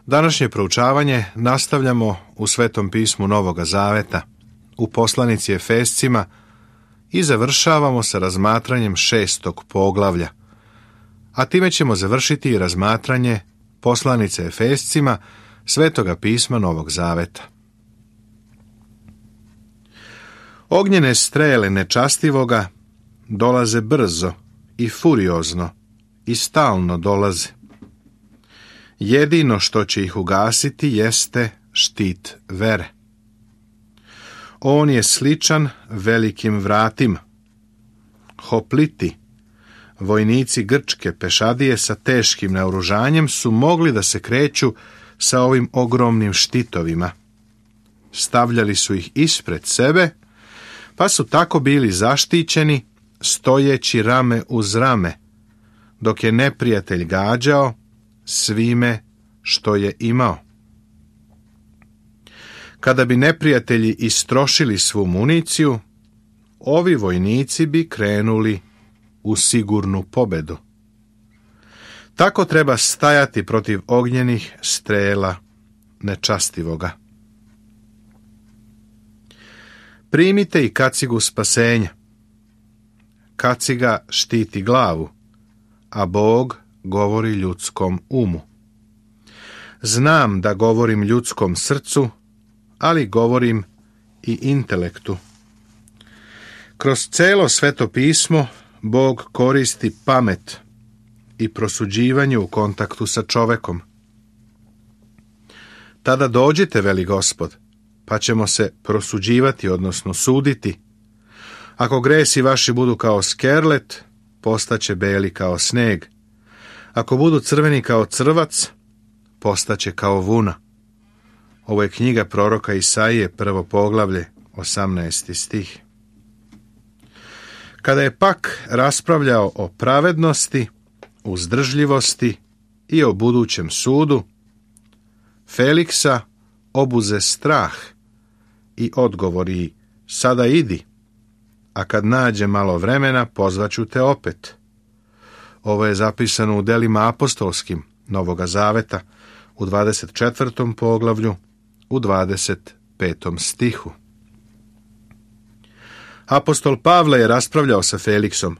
Današnje proučavanje nastavljamo u Svetom pismu Novoga Zaveta, u poslanici Efescima i završavamo sa razmatranjem 6. poglavlja, a time ćemo završiti i razmatranje poslanice Efescima Svetoga pisma Novog Zaveta. Ognjene strele nečastivoga dolaze brzo i furiozno i stalno dolaze. Jedino što će ih ugasiti jeste štit vere. On je sličan velikim vratima. Hopliti, vojnici grčke pešadije sa teškim naoružanjem, su mogli da se kreću sa ovim ogromnim štitovima. Stavljali su ih ispred sebe, pa su tako bili zaštićeni, stojeći rame uz rame, dok je neprijatelj gađao svime što je imao. Kada bi neprijatelji istrošili svu municiju, ovi vojnici bi krenuli u sigurnu pobedu. Tako treba stajati protiv ognjenih strela nečastivoga. Primite i kacigu spasenja. Kaciga štiti glavu, a Bog govori ljudskom umu. Znam da govorim ljudskom srcu, ali govorim i intelektu. Kroz celo Sveto pismo Bog koristi pamet i prosuđivanje u kontaktu sa čovekom. Tada dođite, veli Gospod, pa ćemo se prosuđivati, odnosno suditi. Ako gresi vaši budu kao skerlet, postaće beli kao sneg. Ako budu crveni kao crvac, postaće kao vuna. Ovo je knjiga proroka Isaije, 1. poglavlje, 18. stih. Kada je pak raspravljao o pravednosti, uzdržljivosti i o budućem sudu, Feliksa obuze strah i odgovori: sada idi, a kad nađe malo vremena pozvaću te opet. Ovo je zapisano u delima apostolskim Novoga Zaveta, u 24. poglavlju, u 25. stihu. Apostol Pavle je raspravljao sa Feliksom,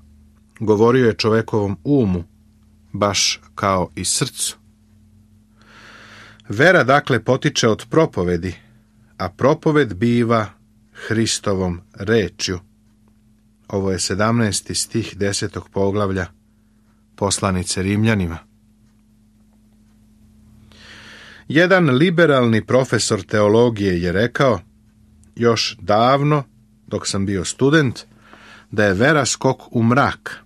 govorio je čovekovom umu, baš kao i srcu. Vera dakle potiče od propovedi, a propoved biva Hristovom rečju. Ovo je 17. stih 10. poglavlja poslanice Rimljanima. Jedan liberalni profesor teologije je rekao, još davno, dok sam bio student, da je vera skok u mrak.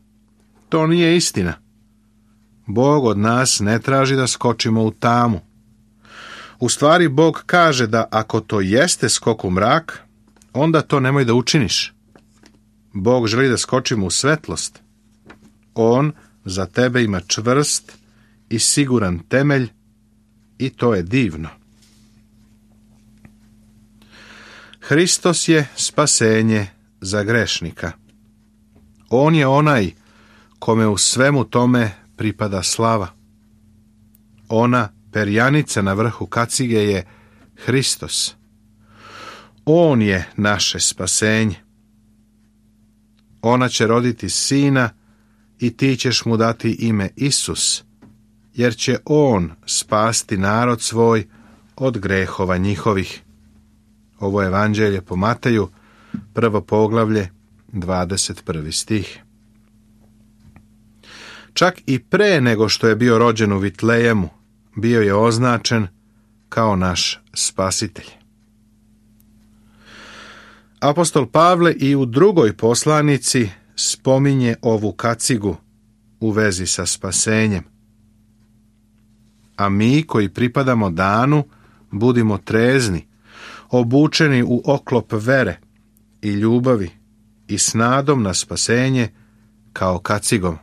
To nije istina. Bog od nas ne traži da skočimo u tamu. U stvari, Bog kaže da ako to jeste skok u mrak, onda to nemoj da učiniš. Bog želi da skočimo u svetlost. On za tebe ima čvrst i siguran temelj i to je divno. Hristos je spasenje za grešnika. On je onaj kome u svemu tome pripada slava. Ona perjanica na vrhu kacige je Hristos. On je naše spasenje. Ona će roditi sina i ti ćeš mu dati ime Isus, jer će on spasti narod svoj od grehova njihovih. Ovo je Evanđelje po Mateju, 1. poglavlje, 21. stih. Čak i pre nego što je bio rođen u Vitlejemu, bio je označen kao naš spasitelj. Apostol Pavle i u drugoj poslanici spominje ovu kacigu u vezi sa spasenjem. A mi koji pripadamo danu, budimo trezni, obučeni u oklop vere i ljubavi i s nadom na spasenje kao kacigom.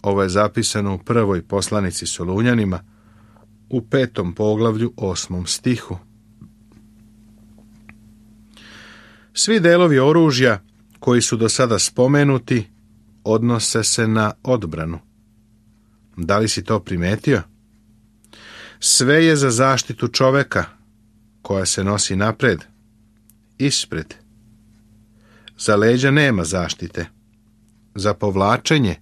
Ovo je zapisano u prvoj poslanici Solunjanima, u 5. poglavlju 8. stihu. Svi delovi oružja koji su do sada spomenuti odnose se na odbranu. Da li si to primetio? Sve je za zaštitu čoveka, koja se nosi napred, ispred. Za leđa nema zaštite. Za povlačenje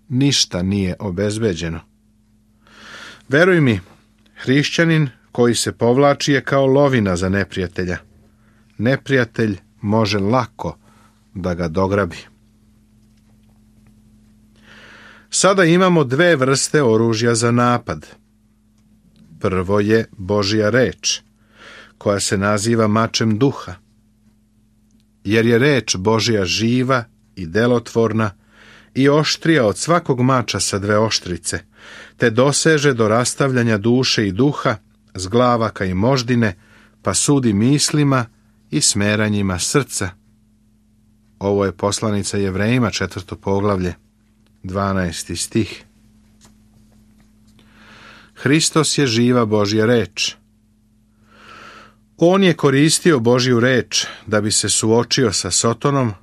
ništa nije obezbeđeno. Veruj mi, hrišćanin koji se povlači je kao lovina za neprijatelja. Neprijatelj može lako da ga dograbi. Sada imamo dve vrste oružja za napad. Prvo je Božja reč, koja se naziva mačem duha. Jer je reč Božja živa i delotvorna i oštrija od svakog mača sa dve oštrice, te doseže do rastavljanja duše i duha, zglavaka i moždine, pa sudi mislima i smeranjima srca. Ovo je poslanica Jevrejima, 4. poglavlje, 12. stih. Hristos je živa Božja reč. On je koristio Božju reč da bi se suočio sa Sotonom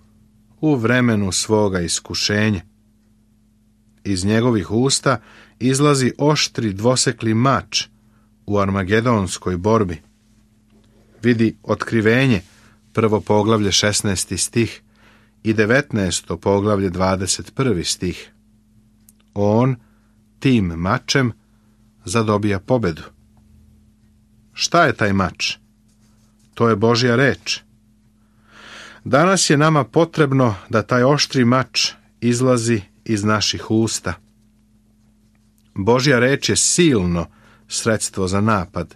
u vremenu svoga iskušenja. Iz njegovih usta izlazi oštri dvosekli mač u armagedonskoj borbi. Vidi Otkrivenje, 1. poglavlje 16. stih i 19. poglavlje 21. stih. On tim mačem zadobija pobedu. Šta je taj mač? To je Božja reč. Danas je nama potrebno da taj oštri mač izlazi iz naših usta. Božja reč je silno sredstvo za napad.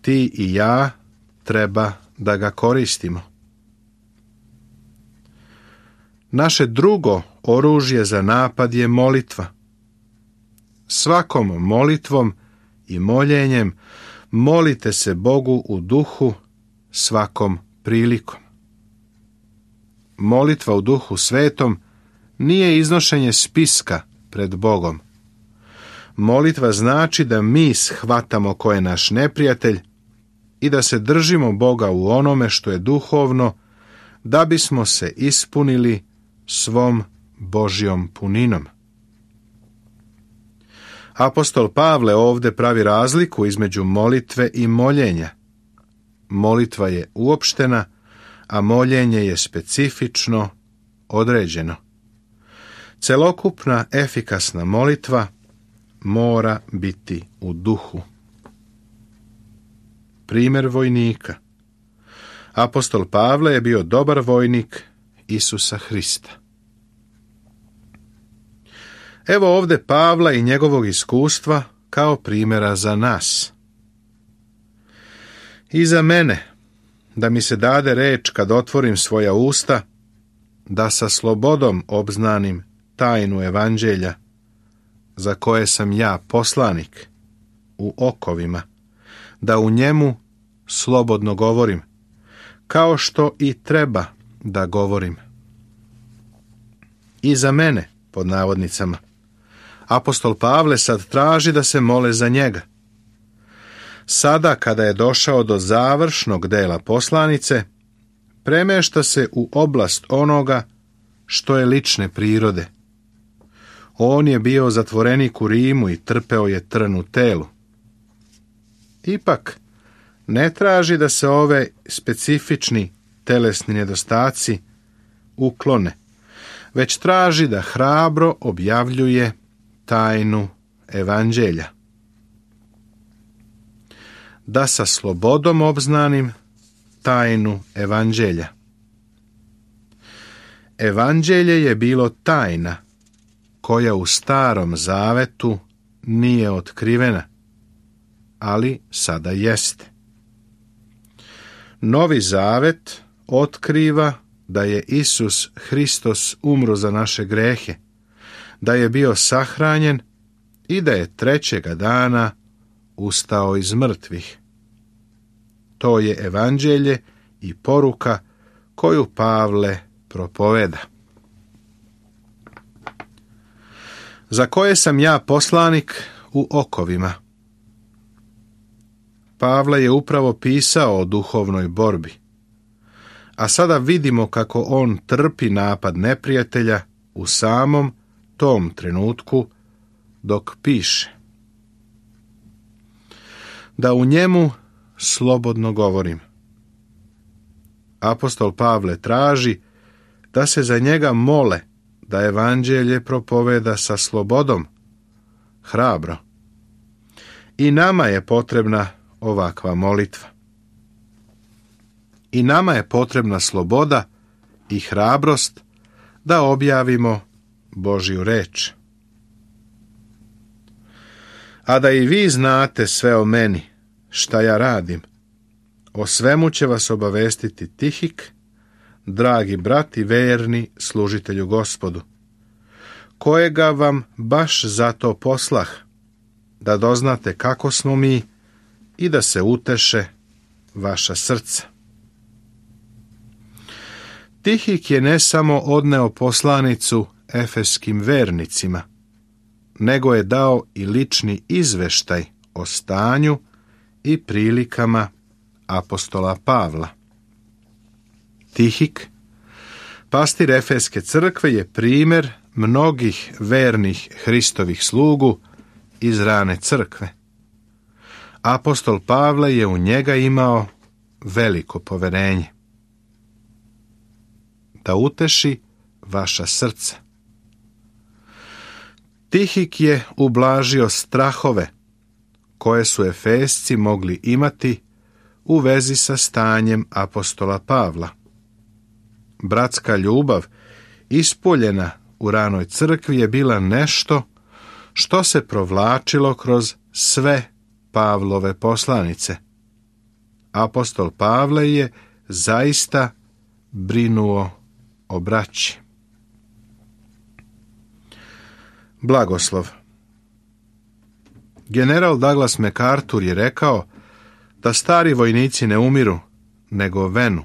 Ti i ja treba da ga koristimo. Naše drugo oružje za napad je molitva. Svakom molitvom i moljenjem molite se Bogu u duhu svakom prilikom. Molitva u Duhu Svetom nije iznošenje spiska pred Bogom. Molitva znači da mi shvatamo ko je naš neprijatelj i da se držimo Boga u onome što je duhovno, da bismo se ispunili svom Božjom puninom. Apostol Pavle ovdje pravi razliku između molitve i moljenja. Molitva je uopštena, a moljenje je specifično, određeno. Celokupna efikasna molitva mora biti u duhu. Primjer vojnika. Apostol Pavle je bio dobar vojnik Isusa Hrista. Evo ovdje Pavla i njegovog iskustva kao primjera za nas. I za mene, da mi se dade reč kad otvorim svoja usta, da sa slobodom obznanim tajnu evanđelja, za koje sam ja poslanik u okovima, da u njemu slobodno govorim, kao što i treba da govorim. I za mene, pod navodnicama, apostol Pavle sad traži da se mole za njega. Sada, kada je došao do završnog dela poslanice, premešta se u oblast onoga što je lične prirode. On je bio zatvorenik u Rimu i trpeo je trn u telu. Ipak, ne traži da se ove specifični telesni nedostaci uklone, već traži da hrabro objavljuje tajnu evanđelja. Da sa slobodom obznanim tajnu evanđelja. Evanđelje je bilo tajna koja u Starom Zavetu nije otkrivena, ali sada jeste. Novi Zavet otkriva da je Isus Hristos umro za naše grehe, da je bio sahranjen i da je trećega dana ustao iz mrtvih. To je evanđelje i poruka koju Pavle propoveda. Za koje sam ja poslanik u okovima? Pavle je upravo pisao o duhovnoj borbi, a sada vidimo kako on trpi napad neprijatelja u samom tom trenutku dok piše. da u njemu slobodno govorim. Apostol Pavle traži da se za njega mole, da evanđelje propoveda sa slobodom, hrabro. I nama je potrebna ovakva molitva. I nama je potrebna sloboda i hrabrost da objavimo Božju reč. A da i vi znate sve o meni, šta ja radim, o svemu će vas obavestiti Tihik, dragi brat i verni služitelju Gospodu, kojega vam baš zato poslah, da doznate kako smo mi i da se uteše vaša srca. Tihik je ne samo odneo poslanicu efeskim vernicima, nego je dao i lični izveštaj o stanju i prilikama apostola Pavla. Tihik, pastir Efeske crkve, je primjer mnogih vernih Hristovih slugu iz rane crkve. Apostol Pavle je u njega imao veliko poverenje. Da uteši vaša srca. Tihik je ublažio strahove koje su Efesci mogli imati u vezi sa stanjem apostola Pavla. Bratska ljubav, ispoljena u ranoj crkvi, je bila nešto što se provlačilo kroz sve Pavlove poslanice. Apostol Pavle je zaista brinuo o braći. Blagoslov. General Douglas MacArthur je rekao da stari vojnici ne umiru, nego venu.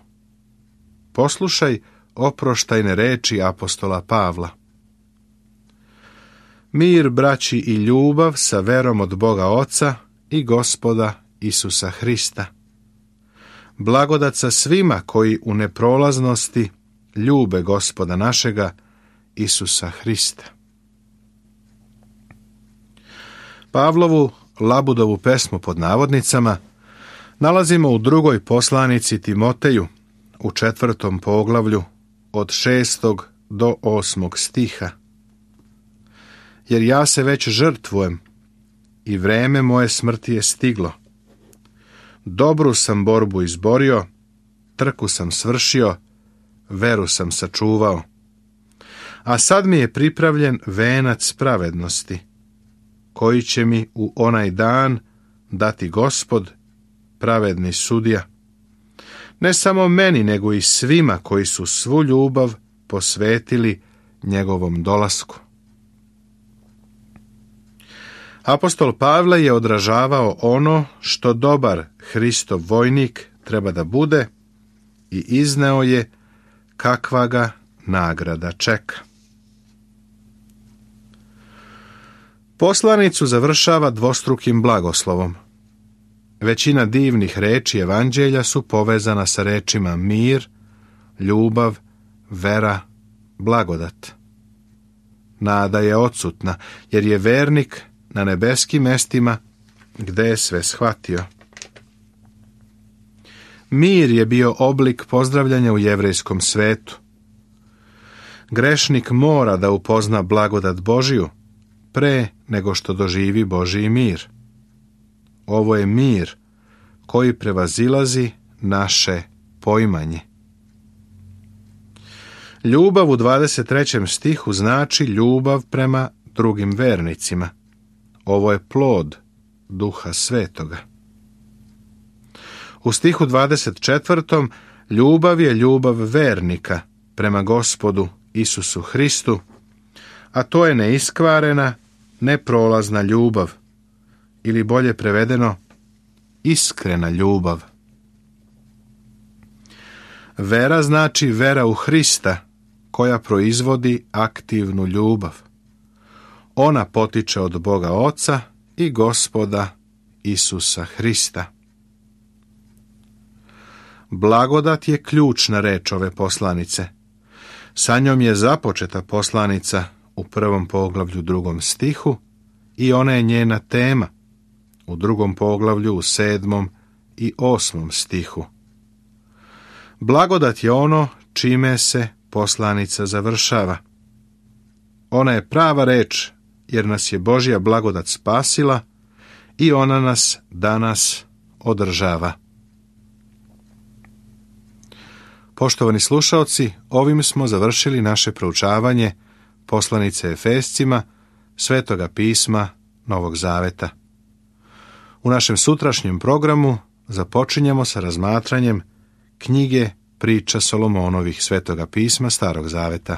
Poslušaj oproštajne reči apostola Pavla. Mir, braći, i ljubav sa verom od Boga Oca i Gospoda Isusa Hrista. Blagodat sa svima koji u neprolaznosti ljube Gospoda našega Isusa Hrista. Pavlovu Labudovu pesmu pod navodnicama nalazimo u drugoj poslanici Timoteju u 4. poglavlju od 6. do 8. stiha. Jer ja se već žrtvujem i vreme moje smrti je stiglo. Dobru sam borbu izborio, trku sam svršio, veru sam sačuvao. A sad mi je pripravljen venac pravednosti, koji će mi u onaj dan dati Gospod, pravedni sudija. Ne samo meni, nego i svima koji su svu ljubav posvetili njegovom dolasku. Apostol Pavle je odražavao ono što dobar Hristov vojnik treba da bude i izneo je kakva ga nagrada čeka. Poslanicu završava dvostrukim blagoslovom. Većina divnih reči evanđelja su povezana sa rečima mir, ljubav, vera, blagodat. Nada je odsutna, jer je vernik na nebeskim mestima gde je sve shvatio. Mir je bio oblik pozdravljanja u jevrejskom svetu. Grešnik mora da upozna blagodat Božiju pre nego što doživi Božji mir. Ovo je mir koji prevazilazi naše poimanje. Ljubav u 23. stihu znači ljubav prema drugim vernicima. Ovo je plod Duha Svetoga. U stihu 24. ljubav je ljubav vernika prema Gospodu Isusu Hristu, a to je neiskvarena, neprolazna ljubav, ili bolje prevedeno, iskrena ljubav. Vera znači vera u Hrista, koja proizvodi aktivnu ljubav. Ona potiče od Boga Oca i Gospoda Isusa Hrista. Blagodat je ključna reč ove poslanice. Sa njom je započeta poslanica u 1. poglavlju 2. stihu i ona je njena tema, u 2. poglavlju, u 7. i 8. stihu. Blagodat je ono čime se poslanica završava. Ona je prava reč, jer nas je Božja blagodat spasila i ona nas danas održava. Poštovani slušaoci, ovim smo završili naše proučavanje poslanice Efescima, Svetoga pisma Novog Zaveta. U našem sutrašnjem programu započinjemo sa razmatranjem knjige Priča Solomonovih, Svetoga pisma Starog Zaveta.